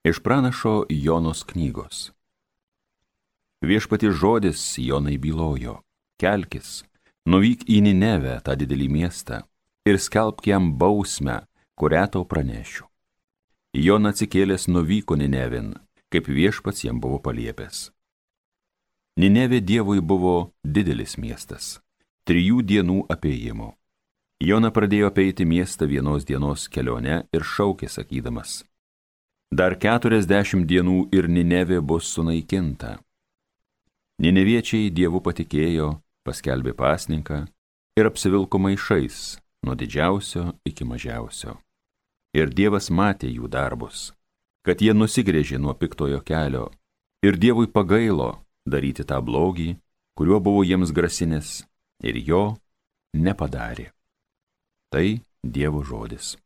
Iš pranašo Jonos knygos. Viešpaties žodis Jonai bylojo: kelkis, nuvyk į Ninevę, tą didelį miestą, ir skelbk jam bausmę, kurią tau pranešiu. Jona atsikėlęs nuvyko Ninevin, kaip viešpats jam buvo paliepęs. Ninevė Dievui buvo didelis miestas, 3 dienų apėjimo. Jona pradėjo apeiti miestą 1 dienos kelionę ir šaukė sakydamas: dar 40 dienų ir Ninevė bus sunaikinta. Nineviečiai Dievu patikėjo, paskelbė pasninką ir apsivilko maišais nuo didžiausio iki mažiausio. Ir Dievas matė jų darbus, kad jie nusigręžė nuo piktojo kelio, ir Dievui pagailo daryti tą blogį, kuriuo buvo jiems grasinęs, ir jo nepadarė. Tai Dievo žodis.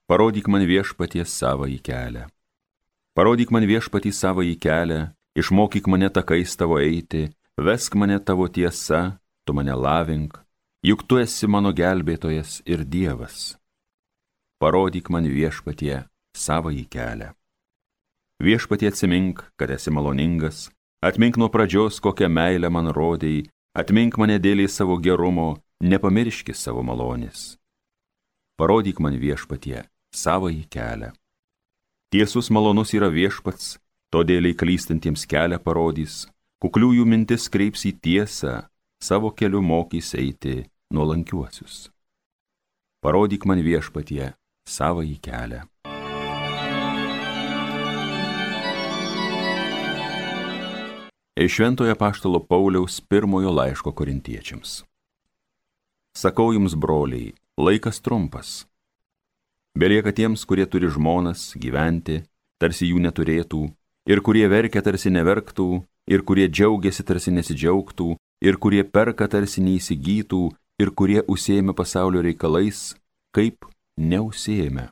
Parodyk man Viešpatie savąjį kelią. Parodyk man Viešpatį savąjį kelią, išmokyk mane takais tavo eiti, vesk mane tavo tiesa, tu mane lavink, juk tu esi mano gelbėtojas ir Dievas. Parodyk man Viešpatie savąjį kelią. Viešpatie atsimink, kad esi maloningas, atmink nuo pradžios, kokią meilę man rodei, atmink mane dėlį savo gerumo, nepamirški savo malonės. Parodyk man Viešpatie savąjį kelią. Tiesus malonus yra Viešpats, todėl klystantiems kelią parodys, kukliųjų mintis kreips į tiesą, savo keliu mokys eiti nuolankiuosius. Parodyk man Viešpatie savąjį kelią. Iš Šventojo apaštalo Pauliaus 1 laiško Korintiečiams. Sakau jums, broliai, laikas trumpas. Belieka tiems, kurie turi žmonas, gyventi, tarsi jų neturėtų, ir kurie verkia, tarsi neverktų, ir kurie džiaugiasi, tarsi nesidžiaugtų, ir kurie perka, tarsi neįsigytų, ir kurie užsiėmė pasaulio reikalais, kaip neužsiėmė,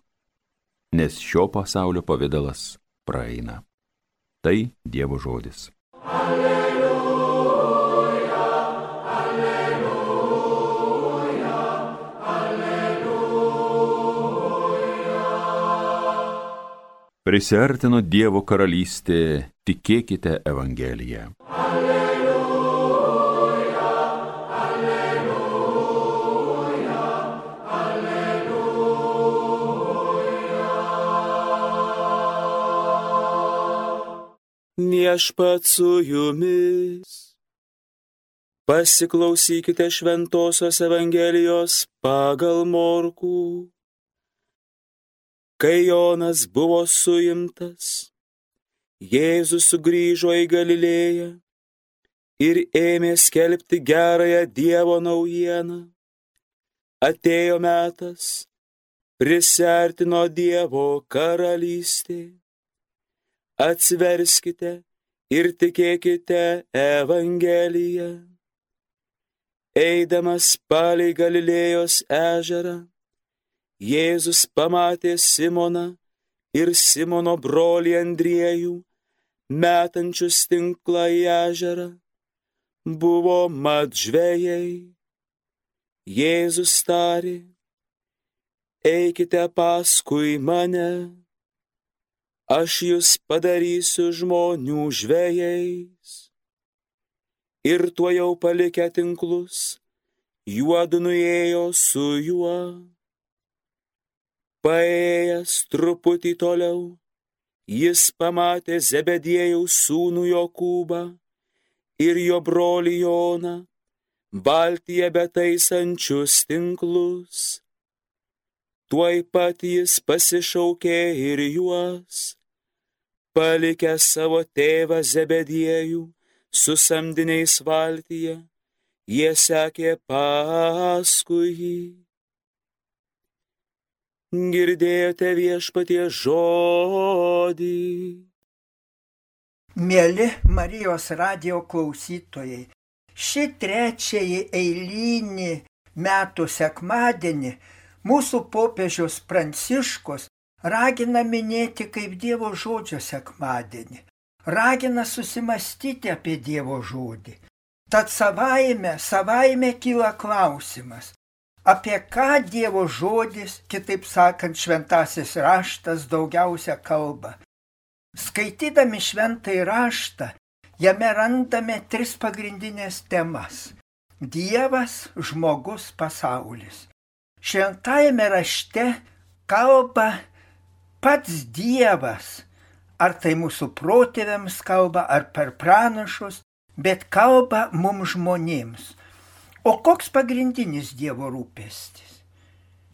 nes šio pasaulio pavidalas praeina. Tai Dievo žodis. Prisiartino Dievo karalystė, tikėkite Evangeliją. Alleluja, alleluja, alleluja. Viešpats su jumis. Pasiklausykite šventosios Evangelijos pagal Morkų. Kai Jonas buvo suimtas, Jėzus sugrįžo į Galilėją ir ėmė skelbti gerąją Dievo naujieną. Atėjo metas, prisiartino Dievo karalystė. Atsiverskite ir tikėkite Evangeliją. Eidamas palei Galilėjos ežerą, Jėzus pamatė Simoną ir Simono brolį Andriejų, metančius tinklą į ežerą. Buvo mat žvejai. Jėzus tarė: eikite paskui mane, aš jus padarysiu žmonių žvejais. Ir tuojau palikę tinklus, juodu nuėjo su juo. Paėjęs truputį toliau, jis pamatė Zebediejaus sūnų Jokūbą ir jo brolį Joną, valtyje betaisančius tinklus. Tuoj pat jis pasišaukė ir juos, palikęs savo tėvą Zebediejų su samdiniais valtyje, jie sekė paskui jį. Girdėjote Viešpaties žodį. Mieli Marijos radijo klausytojai, šį trečiąjį eilinį metų sekmadienį mūsų popiežius Pranciškus ragina minėti kaip Dievo žodžio sekmadienį, ragina susimastyti apie Dievo žodį. Tad savaime kyla klausimas, Apie ką Dievo žodis, kitaip sakant, šventasis raštas daugiausia kalba. Skaitydami šventąjį raštą, jame randame 3 pagrindinės temas – Dievas, žmogus, pasaulis. Šventajame rašte kalba pats Dievas, ar tai mūsų protėviams kalba, ar per pranašus, bet kalba mums žmonėms. O koks pagrindinis Dievo rūpestis?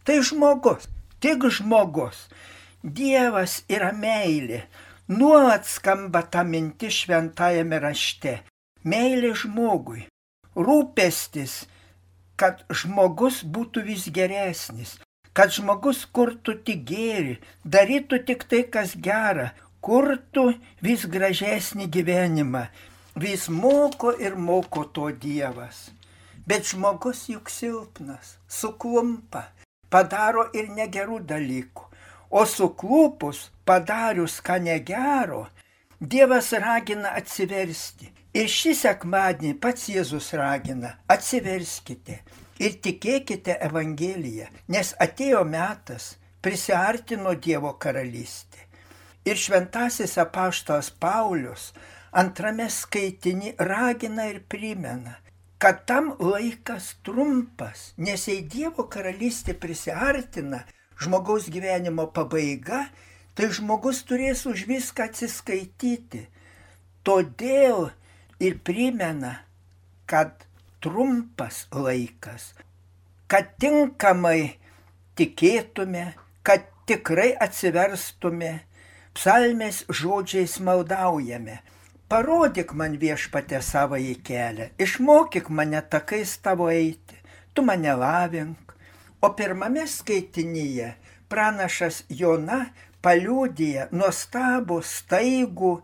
Tai žmogus, tik žmogus. Dievas yra meilė. Nuolat skamba ta mintis šventajame rašte. Meilė žmogui. Rūpestis, kad žmogus būtų vis geresnis, kad žmogus kurtų tik gėrį, darytų tik tai, kas gera, kurtų vis gražesnį gyvenimą. Vis moko ir moko to Dievas. Bet žmogus juk silpnas, suklumpa, padaro ir negerų dalykų. O suklupus, padarius ką negero, Dievas ragina atsiversti. Ir šį sekmadienį pats Jėzus ragina, atsiverskite ir tikėkite Evangeliją, nes atėjo metas, prisiartino Dievo karalystė. Ir šventasis apaštalas Paulius 2 skaitiny ragina ir primena, kad tam laikas trumpas, nes jei Dievo karalystė prisiartina, žmogaus gyvenimo pabaiga, tai žmogus turės už viską atsiskaityti. Todėl ir primena, kad trumpas laikas, kad tinkamai tikėtume, kad tikrai atsiverstume, psalmės žodžiais maldaujame. Parodyk man Viešpatie savąjį kelią, išmokyk mane takais tavo eiti, tu mane lavink. O pirmame skaitinyje pranašas Jona paliudija nuostabų, staigų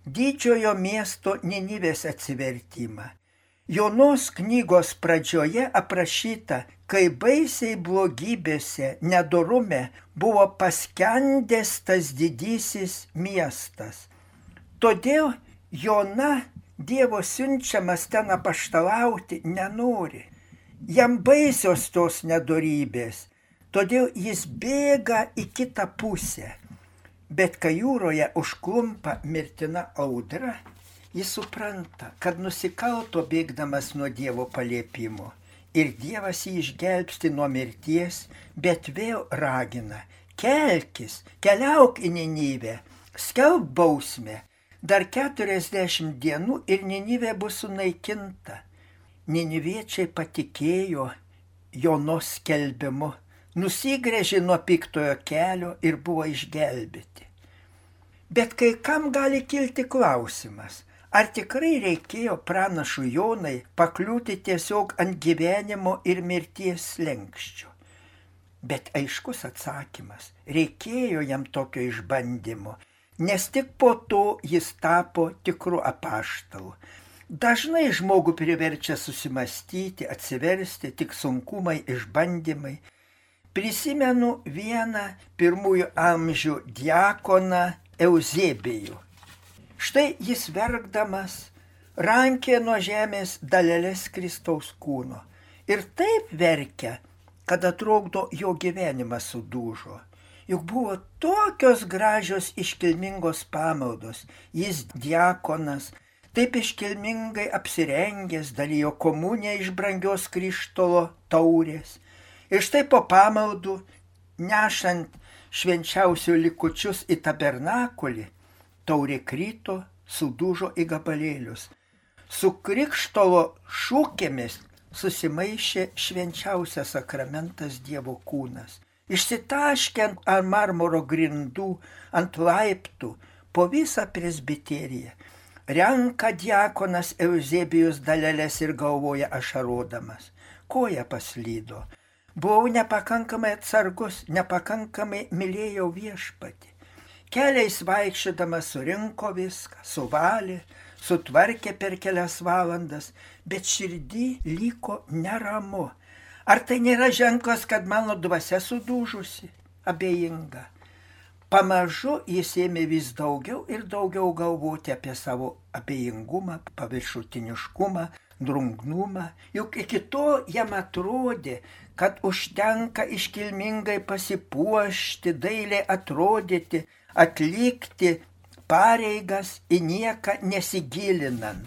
didžiojo miesto Ninivės atsivertimą. Jonos knygos pradžioje aprašyta, kai baisiai blogybėse, nedorume buvo paskendęs tas didysis miestas. Todėl Jona, Dievo siunčiamas ten apaštalauti, nenori. Jam baisios tos nedorybės, todėl jis bėga į kitą pusę. Bet kai jūroje užklumpa mirtina audra, jis supranta, kad nusikalto bėgdamas nuo Dievo paliepimo. Ir Dievas jį išgelbsti nuo mirties, bet vėl ragina, kelkis, keliauk į Ninivę, skelbk bausmę. Dar 40 dienų ir Ninivė bus sunaikinta. Niniviečiai patikėjo Jonos skelbimu, nusigręžė nuo piktojo kelio ir buvo išgelbėti. Bet kai kam gali kilti klausimas, ar tikrai reikėjo pranašui Jonai pakliūti tiesiog ant gyvenimo ir mirties slenksčio? Bet aiškus atsakymas, reikėjo jam tokio išbandymo. Nes tik po to jis tapo tikru apaštalu. Dažnai žmogų priverčia susimastyti, atsiversti tik sunkumai, išbandymai. Prisimenu vieną pirmųjų amžių diakoną Euzebijų. Štai jis verkdamas rankė nuo žemės daleles Kristaus kūno. Ir taip verkia, kad atrodo jo gyvenimas sudužo. Juk buvo tokios gražios iškilmingos pamaldos. Jis diakonas, taip iškilmingai apsirengęs, dalijo komuniją iš brangios krištolo taurės. Ir štai po pamaldų, nešant švenčiausių likučius į tabernakulį, taurė krito, sudužo į gabalėlius. Su krikštolo šūkėmis susimaišė švenčiausias sakramentas Dievo kūnas. Išsitaškė ant marmuro grindų, ant laiptų, po visą presbiteriją. Renka diakonas Euzebijus daleles ir galvoja ašarodamas. Koja paslydo. Buvau nepakankamai atsargus, nepakankamai mylėjau Viešpatį. Keliais vaikščiodamas surinko viską, suvalė, sutvarkė per kelias valandas, bet širdį liko neramu. Ar tai nėra ženklas, kad mano dvasia sudužusi, abejinga? Pamažu jis ėmė vis daugiau ir daugiau galvoti apie savo abejingumą, paviršutiniškumą, drungnumą. Juk iki to jam atrodė, kad užtenka iškilmingai pasipuošti, dailiai atrodyti, atlikti pareigas į nieką nesigilinant.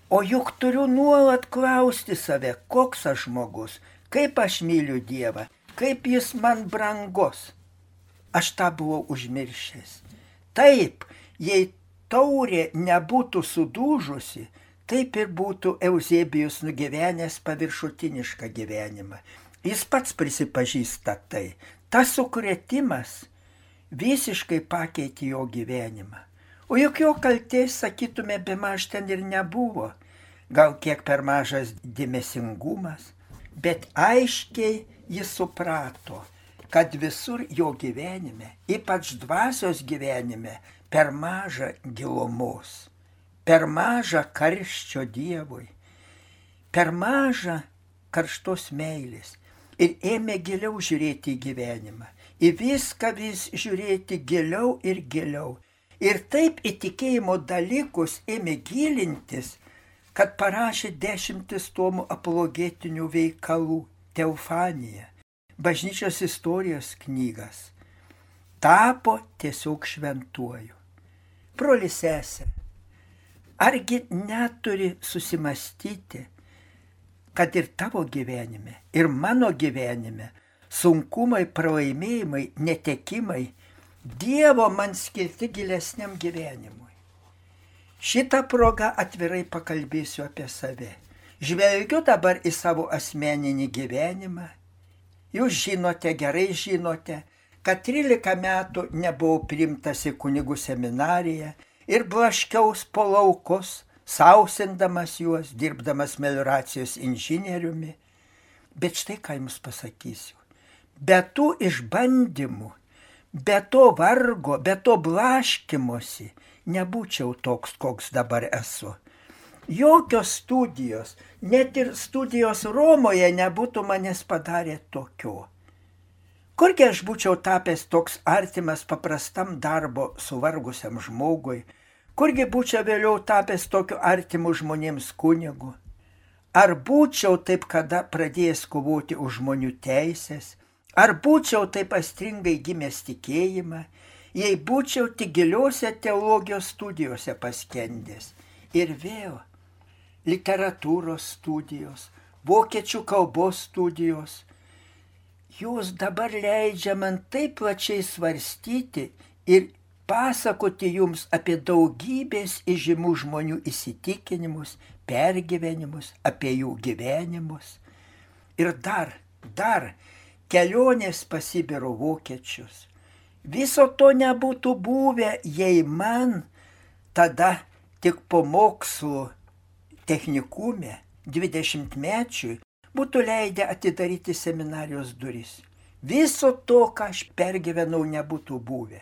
O juk turiu nuolat klausti save, koks aš žmogus, kaip aš myliu Dievą, kaip jis man brangus. Aš tą buvau užmiršęs. Taip, jei taurė nebūtų sudužusi, taip ir būtų Euzebijus nugyvenęs paviršutinišką gyvenimą. Jis pats prisipažįsta tai. Tas sukrėtimas visiškai pakeitė jo gyvenimą. O juk jo kaltės, sakytume, bemaž ten ir nebuvo. Gal kiek per mažas dėmesingumas, bet aiškiai jis suprato, kad visur jo gyvenime, ypač dvasios gyvenime, per maža gilumos, per maža karščio Dievui, per maža karštos meilės. Ir ėmė giliau žiūrėti į gyvenimą, į viską vis žiūrėti giliau ir giliau. Ir taip į tikėjimo dalykus ėmė gilintis, kad parašė 10 tomų apologetinių veikalų, Teofanija, bažnyčios istorijos knygas. Tapo tiesiog šventuoju. Broli sesė, argi neturi susimastyti, kad ir tavo gyvenime, ir mano gyvenime sunkumai, pralaimėjimai, netekimai Dievo man skirti gilesniam gyvenimui. Šitą progą atvirai pakalbėsiu apie save. Žvelgiu dabar į savo asmeninį gyvenimą. Jūs žinote, gerai žinote, kad 13 metų nebuvau priimtas į kunigų seminariją ir blaškiaus po laukus, sausindamas juos, dirbdamas melioracijos inžinieriumi. Bet štai ką jums pasakysiu. Be tų išbandymų, be to vargo, be to blaškymosi nebūčiau toks, koks dabar esu. Jokios studijos, net ir studijos Romoje nebūtų manęs padarę tokio. Kurgi aš būčiau tapęs toks artimas paprastam darbo suvargusiam žmogui, kurgi būčiau vėliau tapęs tokiu artimu žmonėms kunigu. Ar būčiau taip kada pradėjęs kovoti už žmonių teisės, ar būčiau taip astringai gimęs tikėjimą, jei būčiau tik giliuose teologijos studijose paskendęs. Ir vėl literatūros studijos, vokiečių kalbos studijos, jūs dabar leidžia man taip plačiai svarstyti ir pasakoti jums apie daugybės įžymių žmonių įsitikinimus, pergyvenimus, apie jų gyvenimus. Ir dar kelionės pas Sibiro vokiečius. Viso to nebūtų buvę, jei man tada tik po mokslų technikume 20-mečiui būtų leidę atidaryti seminarijos duris. Viso to, ką aš pergyvenau, nebūtų buvę.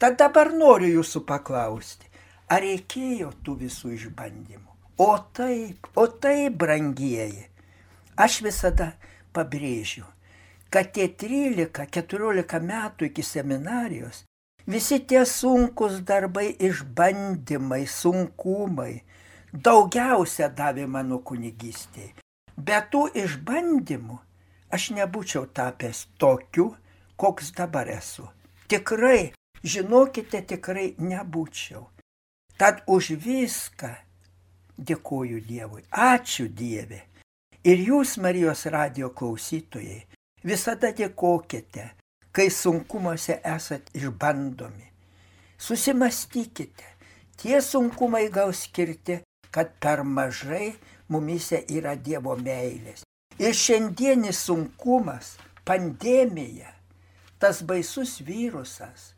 Tad dabar noriu jūsų paklausti, ar reikėjo tų visų išbandymų? O taip, brangieji, aš visada pabrėžiu, kad tie 13-14 metų iki seminarijos, visi tie sunkus darbai, išbandymai, sunkumai, daugiausia davė mano kunigystėje. Be tų išbandymų aš nebūčiau tapęs tokiu, koks dabar esu. Tikrai, žinokite, tikrai nebūčiau. Tad už viską dėkoju Dievui. Ačiū Dieve. Ir jūs, Marijos radijo klausytojai, visada dėkokite, kai sunkumuose esat išbandomi. Susimastykite, tie sunkumai gal skirti, kad per mažai mumise yra Dievo meilės. Ir šiandienis sunkumas, pandemija, tas baisus virusas,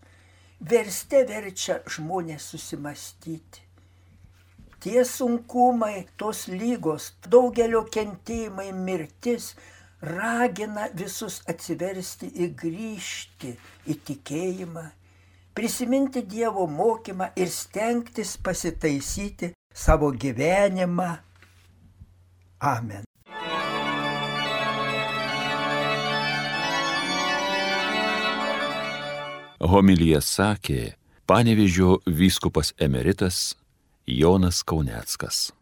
verčia žmonės susimastyti. Tie sunkumai, tos lygos, daugelio kentėjimai, mirtis ragina visus atsiversti ir grįžti į tikėjimą, prisiminti Dievo mokymą ir stengtis pasitaisyti savo gyvenimą. Amen. Homiliją sakė Panevėžio vyskupas emeritas Jonas Kauneckas.